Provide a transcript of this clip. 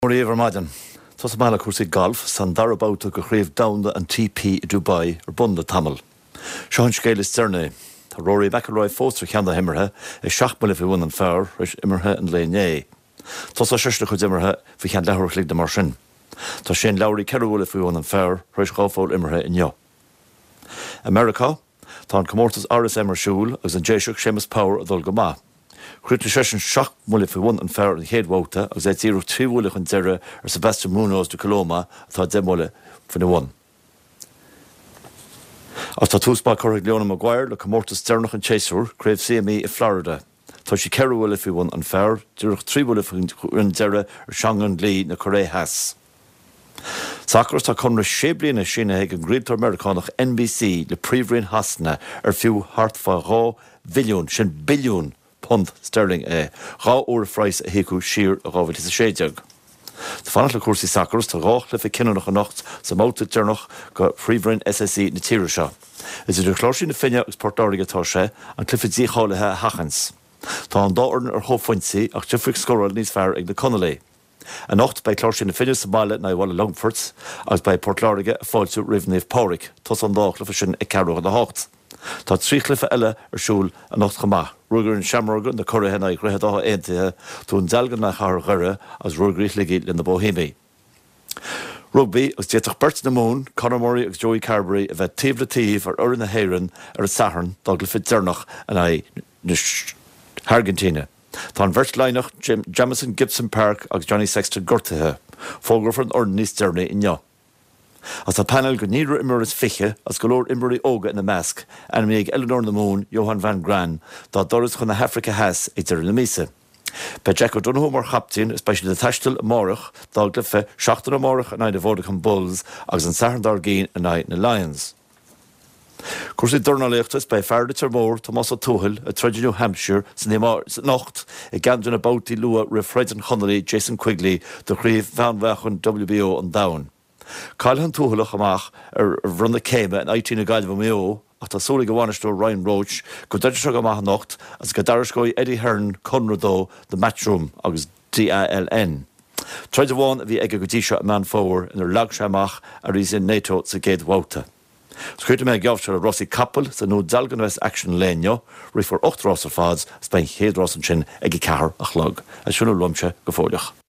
Mora dhaoibh ar maidin. Tosóidh mé le cúrsaí gailf 's tá an dara babhta de Chraobh Domhanda an TP i Dubai ar bun le tamall. Seo an scéal is deireanaí. Tá Rory McIlroy fós ar cheann na himeartha, é 7 mbuille faoi bhun an phar tar éis imeartha an lae inné. Tosóidh seisean a chuid imeartha faoi cheann leathuair a chloig nó mar sin. Tá Shane Lowry 4 bhuille faoi bhun an phar tar éis 2 pholl imeartha inniu. I Meiriceá, tá an comórtas RSM ar siúl agus an Déiseach Séamus Power ag dul go maith. Chríochnaigh seisean 7 mbuille faoi bhun an phar an chéad bhabhta agus é díreach 3 bhuille chun deiridh ar Sebastian Munoz de Coloma atá 10 mbuille faoina bhun. Agus tá tús maith curtha ag Leona Maguire le comórtas deireanach an tséasúir, Craobh CME i Florida. Tá sí 4 bhuille faoi bhun an phar, díreach 3 bhuille chun deiridh ar Seung-Yun Lee na Cóiré Theas. Sacar, Tá conradh sé bliana sínithe ag an gcraoltóir Meiriceánach NBC le Príomhroinn Shasana ar fiú thart fá 2 bhilliún, sin billiún punt sterling é, dhá uair a phraghas a híocadh siar i 2016. Ag fanacht le cúrsaí sacair, tá dhá chluiche cinniúnach anocht sa mbabhta deireanach de Phríomhroinn SSE na tíre seo. Is idir Chláirsigh na Finne agus Port Láirge atá sé, an cluiche dícháilithe a sheachaint. Tá an dá fhoireann ar chomhphointí ach difríocht scórála níos fearr ag na Conallaigh. Anocht, beidh Cláirsigh na Finne sa mbaile in aghaidh Bhaile Longfoirt agus beidh Port Láirge ag fáiltiú roimh Naomh Pádraig. Tosóidh an dá chluiche sin ag ceathrú chun a hocht. Tá 3 chluiche eile ar siúl anocht chomh maith, Ruagairí na Seamróige, na curaithe in aghaidh Dhroichead Átha Aontaithe, Dún Dealgan in aghaidh Chathair Dhoire agus Ruagairí Shligigh le na Boihéamaigh. Rugbaí, agus d'fhéadfadh beirt na Mumhan, Conor Murray agus Joey Carbery, a bheith taobh le taobh ar fhoireann na hÉireann ar an Satharn dá gcluiche deireanach in aghaidh na hAirgintíne. Tá an bheirt Laighneach, Jamison Gibson-Park agus Johnny Sexton gortaithe. Fógrófar an fhoireann níos deireanaí inniu. Agus tá painéal de naonúr imreoir is fiche, agus go leor imreoirí óga ina measc, ainmnithe ag oiliúnóir na Mumhan, Johann van Graan, dá dturas chun na hAfraice Theas ag deireadh na míosa. Beidh Jack O'Donoghue mar chaptaen agus beidh siad ag taisteal amárach dá gcluiche seachtaine amárach in aghaidh na Vodacom Bulls agus an Satharn dár gcionn in aghaidh na Lions. Cúrsaí dornálaíochta Is beidh fear Leitir Móir, Tomás Ó Tuathail, ag troid i New Hampshire san anocht i gceann de na babhtaí luath roimh throid an Chonallaigh Jason Quigley do chraobh mheánmheáchain WBO an domhain. Cailleadh an Tuathalach amach ar bhronnadh céime in IT na Gaillimhe Maigh Eo ach tá súil ag a bhainisteoir Ryan Roche go dtroidfidh sé go maith anocht agus go dtairisceoidh Eddie Hearn conradh dó do Matchroom agus DALN. Troid amháin a bhí aige go dtí seo i Meán Fómhair inar leag sé amach Arizian Neto sa gcéad bhabhta. Críochnóidh mé an geábh seo le rásaí capall sa nDún Dealgan a bheas aicsean an lae inniu. Rithfear 8 rás ar fad agus beidh an chéad rás ansin ag a ceathair a chlog. As sin uaimse go fóilleach.